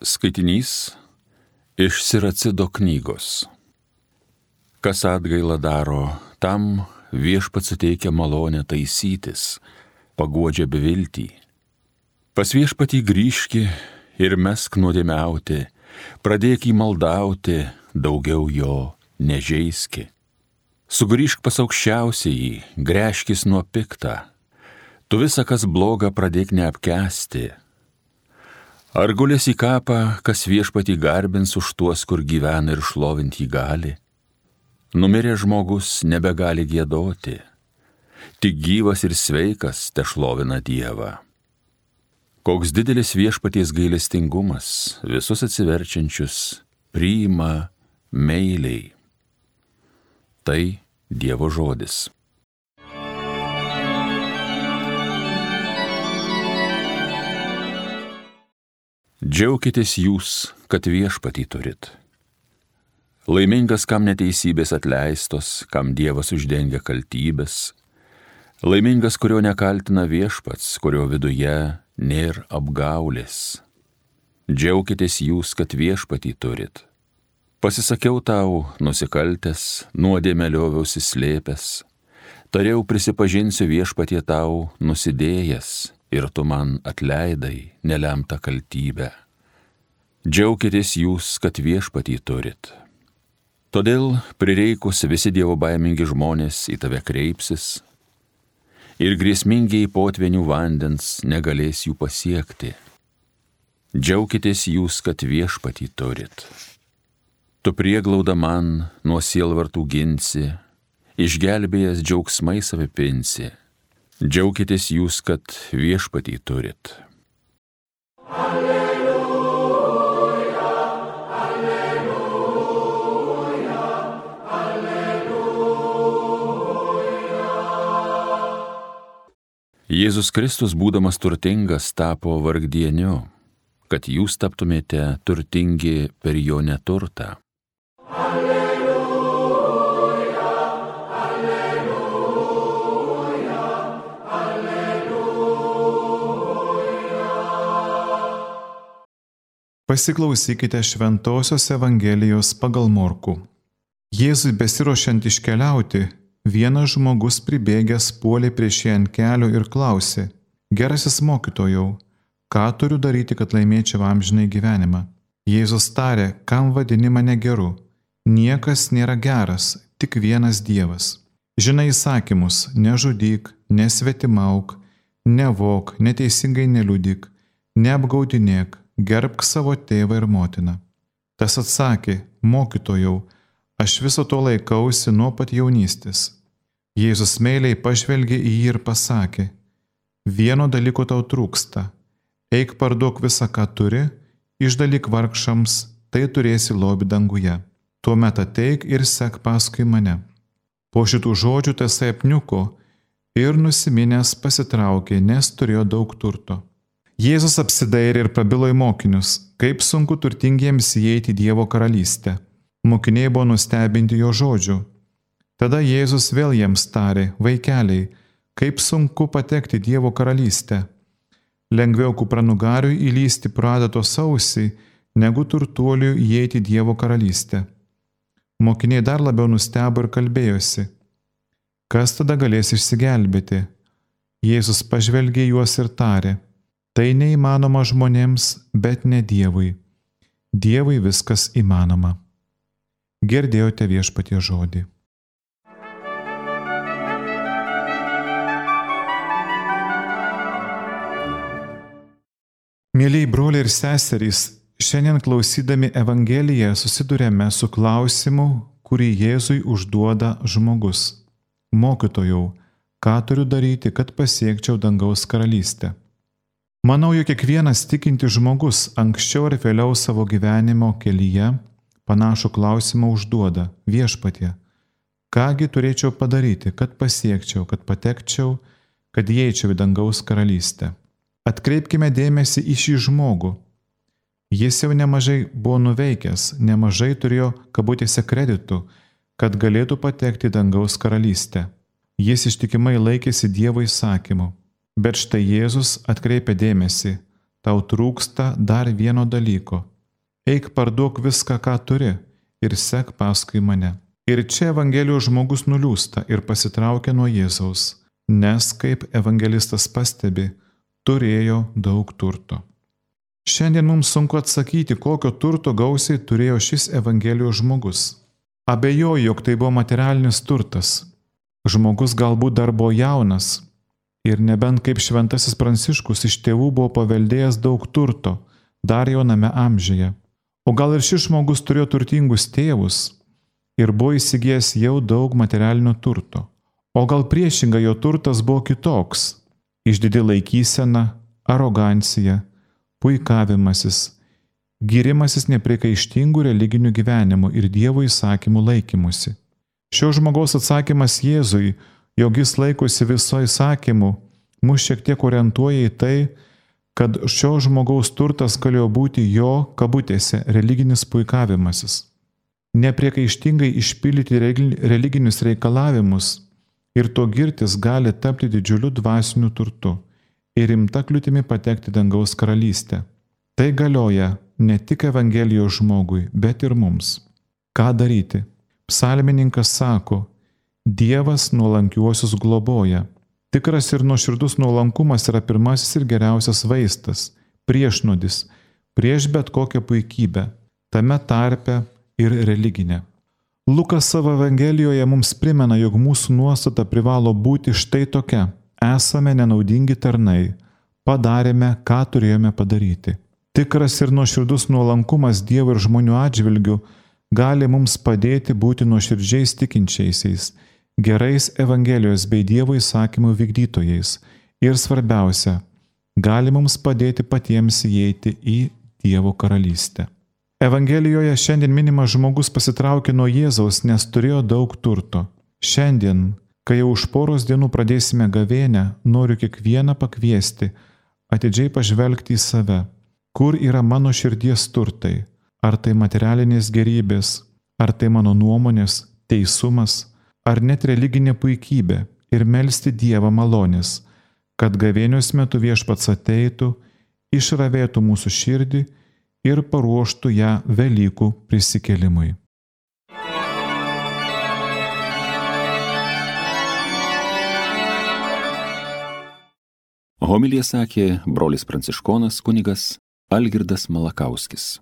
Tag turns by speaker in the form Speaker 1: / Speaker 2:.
Speaker 1: Skaitinys iš Siracido knygos. Kas atgailą daro, tam Viešpats suteikia malonę taisytis, paguodžia beviltį. Pas Viešpatį grįžki ir mesk nuodėmiauti, pradėk jį maldauti, daugiau jo nežeiski. Sugrįžk pas aukščiausiąjį, gręžkis nuo piktą, tu visą, kas bloga, pradėk neapkęsti. Ar gulės į kapą, kas Viešpatį garbins už tuos, kur gyvena ir šlovinti jį gali? Numiręs žmogus nebegali giedoti, tik gyvas ir sveikas tešlovina Dievą. Koks didelis Viešpaties gailestingumas, visus atsiverčiančius priima meiliai. Tai Dievo žodis. Džiaukitės jūs, kad Viešpatį turit. Laimingas, kam neteisybės atleistos, kam Dievas uždengia kaltybės. Laimingas, kurio nekaltina Viešpats, kurio viduje nėr apgaulės. Džiaukitės jūs, kad Viešpatį turit. Pasisakiau tau, nusikaltęs, nuodėmę lioviausi slėpęs. Tariau, prisipažinsiu Viešpatie tau nusidėjęs, ir tu man atleidai nelemtą kaltybę. Džiaukitės jūs, kad Viešpatį turit. Todėl prireikus visi dievobaimingi žmonės į tave kreipsis, ir grėsmingiai potvenių vandens negalės jų pasiekti. Džiaukitės jūs, kad Viešpatį turit. Tu prieglauda man nuo sielvartų ginsi, išgelbėjęs džiaugsmais apipinsi. Džiaukitės jūs, kad Viešpatį turit. Jėzus Kristus, būdamas turtingas, tapo vargdieniu, kad jūs taptumėte turtingi per jo neturtą.
Speaker 2: Alleluja, alleluja, alleluja.
Speaker 3: Pasiklausykite Šventosios Evangelijos pagal Morkų. Jėzui besiruošiant iškeliauti, vienas žmogus pribėgęs puolė prieš jį ant kelių ir klausė: Gerasis mokytojau, ką turiu daryti, kad laimėčiau amžinąjį gyvenimą? Jėzus tarė: Kam vadini mane geru? Niekas nėra geras, tik vienas Dievas. Žinai įsakymus: nežudyk, nesvetimauk, nevok, neteisingai neliudyk, neapgaudinėk, gerbk savo tėvą ir motiną. Tas atsakė: Mokytojau, aš viso to laikausi nuo pat jaunystės. Jėzus meiliai pažvelgė į jį ir pasakė: Vieno dalyko tau trūksta. Eik parduok visą, ką turi, išdalyk vargšams, tai turėsi lobį danguje. Tuomet ateik ir sek paskui mane. Po šitų žodžių tasai apniuko ir nusiminęs pasitraukė, nes turėjo daug turto. Jėzus apsidairė ir prabilo į mokinius, kaip sunku turtingiems įeiti į Dievo karalystę. Mokiniai buvo nustebinti jo žodžių. Tada Jėzus vėl jiems tarė: Vaikeliai, kaip sunku patekti į Dievo karalystę. Lengviau kupranugariui įlysti pro adatos ausį, negu turtuoliui įeiti į Dievo karalystę. Mokiniai dar labiau nustebo ir kalbėjosi: Kas tada galės išsigelbėti? Jėzus pažvelgė juos ir tarė: Tai neįmanoma žmonėms, bet ne Dievui. Dievui viskas įmanoma. Girdėjote Viešpaties žodį. Mėlyjei broliai ir seserys, šiandien klausydami Evangeliją susiduriame su klausimu, kurį Jėzui užduoda žmogus: Mokytojau, ką turiu daryti, kad pasiekčiau dangaus karalystę? Manau, jog kiekvienas tikintis žmogus anksčiau ar vėliau savo gyvenimo kelyje panašų klausimą užduoda: Viešpatie, kągi turėčiau padaryti, kad pasiekčiau, kad patekčiau, kad įeičiau į dangaus karalystę? Atkreipkime dėmesį į šį žmogų. Jis jau nemažai buvo nuveikęs, nemažai turėjo kabutėse kreditų, kad galėtų patekti į dangaus karalystę. Jis ištikimai laikėsi Dievo įsakymų. Bet štai Jėzus atkreipia dėmesį: tau trūksta dar vieno dalyko. Eik parduok viską, ką turi, ir sek paskui mane. Ir čia Evangelijos žmogus nuliūsta ir pasitraukia nuo Jėzaus, nes, kaip evangelistas pastebi, turėjo daug turto. Šiandien mums sunku atsakyti, kokio turto gausiai turėjo šis Evangelijos žmogus. Abejoju, jog tai buvo materialinis turtas. Žmogus galbūt dar buvo jaunas ir nebent kaip šventasis Pranciškus iš tėvų buvo paveldėjęs daug turto, dar jauname amžiuje. O gal ir šis žmogus turėjo turtingus tėvus ir buvo įsigijęs jau daug materialinio turto. O gal priešingai jo turtas buvo kitoks – išdidi laikysena, arogancija, puikavimasis, gyrimasis nepriekaištingų religinių gyvenimų ir Dievo įsakymų laikymusi. Šio žmogaus atsakymas Jėzui, jog jis laikosi viso įsakymų, mus šiek tiek orientuoja į tai, kad šio žmogaus turtas galėjo būti jo, kabutėse, religinis puikavimasis. Nepriekaištingai išpildyti religinius reikalavimus ir to girtis gali tapti didžiuliu dvasiniu turtu ir rimta kliūtimi patekti dangaus karalystę. Tai galioja ne tik Evangelijos žmogui, bet ir mums. Ką daryti? Psalmininkas sako, Dievas nuolankiuosius globoja. Tikras ir nuoširdus nuolankumas yra pirmasis ir geriausias vaistas, priešnuodis, prieš bet kokią puikybę, tame tarpe ir religinę. Lukas savo Evangelijoje mums primena, jog mūsų nuostata privalo būti štai tokia: esame nenaudingi tarnai, padarėme, ką turėjome padaryti. Tikras ir nuoširdus nuolankumas Dievo ir žmonių atžvilgių gali mums padėti būti nuoširdžiais tikinčiaisiais, gerais Evangelijos bei Dievo įsakymų vykdytojais ir svarbiausia, gali mums padėti patiems įeiti į Dievo karalystę. Evangelijoje šiandien minimas žmogus pasitraukė nuo Jėzaus, nes turėjo daug turto. Šiandien, kai jau už poros dienų pradėsime gavėnią, noriu kiekvieną pakviesti atidžiai pažvelgti į save, kur yra mano širdies turtai, ar tai materialinės gerybės, ar tai mano nuomonės, teisumas, ar net religinė puikybė, ir melsti Dievą malonės, kad gavėnios metu Viešpats ateitų, išravėtų mūsų širdį ir paruoštų ją Velykų prisikėlimui.
Speaker 1: Homiliją sakė brolis pranciškonas kunigas Algirdas Malakauskis.